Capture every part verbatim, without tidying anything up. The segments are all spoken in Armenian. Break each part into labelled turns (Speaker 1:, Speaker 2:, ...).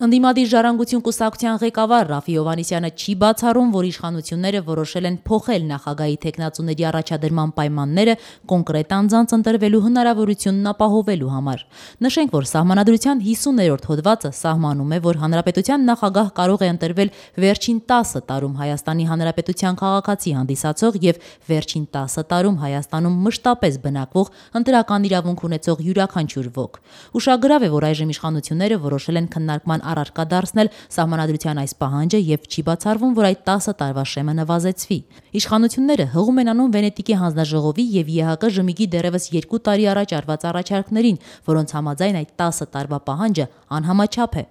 Speaker 1: Ընդդիմադիր ժառանգություն կուսակցության ղեկավար Ռաֆֆի Հովհաննիսյանը չի բացառում, որ իշխանությունները որոշել են փոխել նախագահի թեկնածուների առաջադրման պայմանները կոնկրետ անձանց ընտրվելու հնարավորությունն ապահովելու համար։ Նշենք, որ Սահմանադրության հիսուներորդ հոդվածը սահմանում է, որ Հանրապետության նախագահ կարող է ընտրվել վերջին տասը տարում Հայաստանի Հանրապետության քաղաքացի հանդիսացող և վերջին տասը տարում Հայաստանում մշտապես բնակվող ընտրական իրավունք ունեցող յուրաքանչյուր ոք։ Ուշագրավ է, որ այժմ իշխանությունները որոշել են քննարկման առարկա դարձնել Սահմանադրության այս պահանջը և չի բացառվում, որ այդ տասը տարվա շեմը նվազեցվի։ Իշխանությունները հղում են անում Վենետիկի հանձնաժողովի և ԵՀԿ ԺՄԻԳ-ի դեռևս երկու տարի առաջ արված առաջարկներին, որոնց համաձայն այդ տասը տարվա պահանջը անհամաչափ է։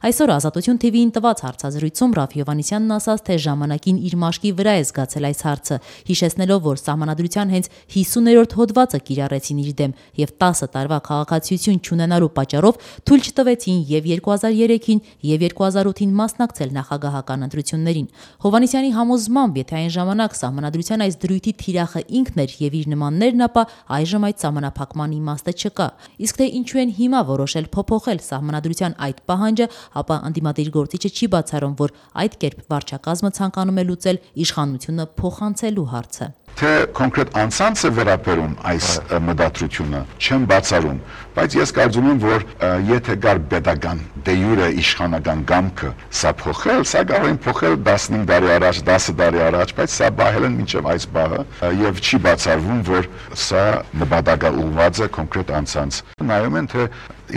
Speaker 1: Այսօր Ազատություն թիվիին տված հարցազրույցում Ռաֆֆի Հովհաննիսյանն ասաց, թե ժամանակին իր մաշկի վրա է զգացել այս հարցը, հիշեցնելով, որ Սահմանադրության հենց հիսուներորդ հոդվածը կիրառեցին իր դեմ և տասը տարվա քաղաքացիություն չունենալու պատճառով թույլ չտվեցին և երկու հազար երեքին և երկու հազար ութին մասնակցել նախագահական ընտրություններին։ Հովհաննիսյանի համոզմամբ, եթե այն ժամանակ Սահմանադրության այս դրույթի թիրախը ինքն էր և իր նմաններն, ապա այժմ այդ սահմանափակման իմաստը չկա։ Իսկ թե ինչու են հիմա որոշել փոփոխել Սահմանադրության այդ պահանջը, ապա ընդդիմադիր գործիչը չի բացառում, որ այդ կերպ վարչակազմը ցանկանում է լուծել իշխանությունը փոխանցելու հարցը։
Speaker 2: Թե կոնկրետ անձանց է վերաբերում այս մտադրությունը, չեմ բացառում, բայց ես կարծում եմ, որ եթե գար պետական դե յուրե իշխանական կամքը սա փոխել, սա կարող են փոխել տասնհինգ տարի առաջ, դասը տարի առաջ, բայց սա բահել են մինչև այս բահը եւ չի բացառվում, որ սա նպատակաուղղված է կոնկրետ անձանց։ Նայում են, թե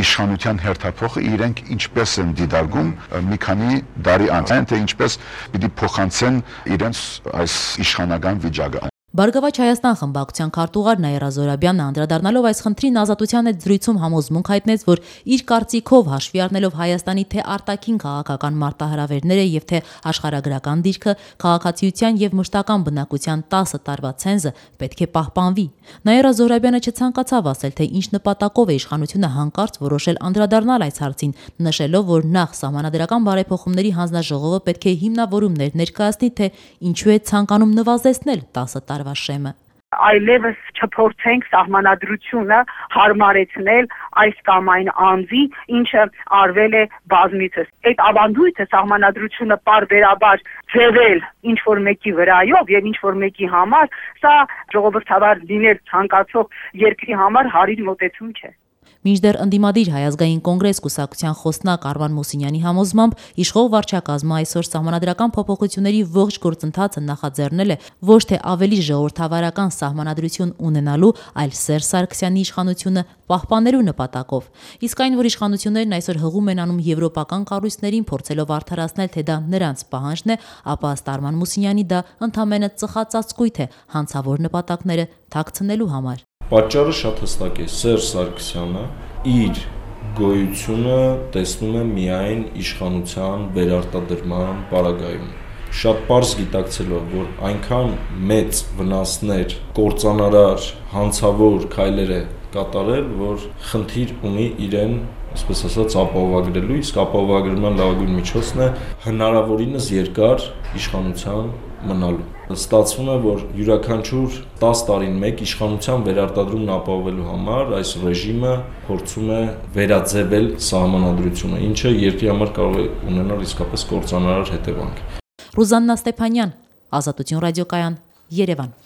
Speaker 2: իշխանության հերթափոխը իրենք ինչպես են դիտարկում մի քանի տարի անց, թե ինչպես պիտի փոխանցեն իրենց այս իշխանական վիճակը։
Speaker 1: Բարգավաճ Հայաստան խմբակցության քարտուղար Նաիրա Զոհրաբյանը անդրադառնալով այս խնդրին Ազատության հետ զրույցում համոզմունք հայտնեց, որ իր կարծիքով հաշվի առնելով Հայաստանի թե արտաքին քաղաքական մարտահրավերները և թե աշխարհագրական դիրքը, քաղաքացիության և մշտական բնակության տասը տարվա ցենզը պետք է պահպանվի։ Նաիրա Զոհրաբյանը չցանկացավ ասել, թե ինչ նպատակով է իշխանությունը հանկարծ որոշել անդրադառնալ այս հարցին, նշելով, որ նախ Սահմանադրական բարեփոխումների հանձնաժողովը պետք է հիմնավորումներ ներկայացնի, թե ինչու է ցանկանում նվազեցնել տասը տարվա շեմը։
Speaker 3: Այլևս չփորձենք Սահմանադրությունը հարմարեցնել այս կամ այն անձի, ինչը արվել է բազմիցս։ Այդ ավանդույթը Սահմանադրությունը պարբերաբար ձևել ինչ-որ մեկի վրայով և ինչ-որ մեկի համար, սա ժողովրդավար լինել ցանկացող երկրի համար հարիր մոտեցում չէ։
Speaker 1: Մինչդեռ ընդդիմադիր Հայ ազգային կոնգրես կուսակցության խոսնակ Արման Մուսինյանի համոզմամբ իշխող վարչակազմը այսօր սահմանադրական փոփոխությունների ողջ գործընթացը նախաձեռնել է ոչ թե ավելի ժողովրդավարական սահմանադրություն ունենալու, այլ Սերժ Սարգսյանի իշխանությունը պահպանելու նպատակով։ Իսկ այն, որ իշխանություններն այսօր հղում են անում եվրոպական կառույցներին, փորձելով արդարացնել, թե դա նրանց պահանջն է, ապա ըստ Արման Մուսինյանի դա ընդամենը ծխածածկույթ է հանցավոր նպատակները թաքցնելու համար։
Speaker 4: Պատճառը շատ հստակ է, Սերժ Սարգսյանը իր գոյությունը տեսնում է միայն իշխանության վերարտադրման պարագայում։ Շատ պարզ գիտակցելով, որ այնքան մեծ վնասներ, կործանարար, հանցավոր քայլեր է կատարել, որ խնդիր ունի իրեն, այսպես ասած, ապահովագրելու, իսկ ապահովագրման լավագույն միջոցն է հնարավորինս երկար իշխանության մնալու։ Ստացվում է, որ յուրաքանչյուր տասը տարին մեկ իշխանության վերարտադրումն ապահովելու համար այս ռեժիմը փորձում է վերաձևել Սահմանադրությունը, ինչը երկրի համար կարող է ունենալ իսկապես կործանարար հետևանք։
Speaker 1: Ռուզաննա Ստեփանյան, Ազատություն ռադիոկայան, Երևան։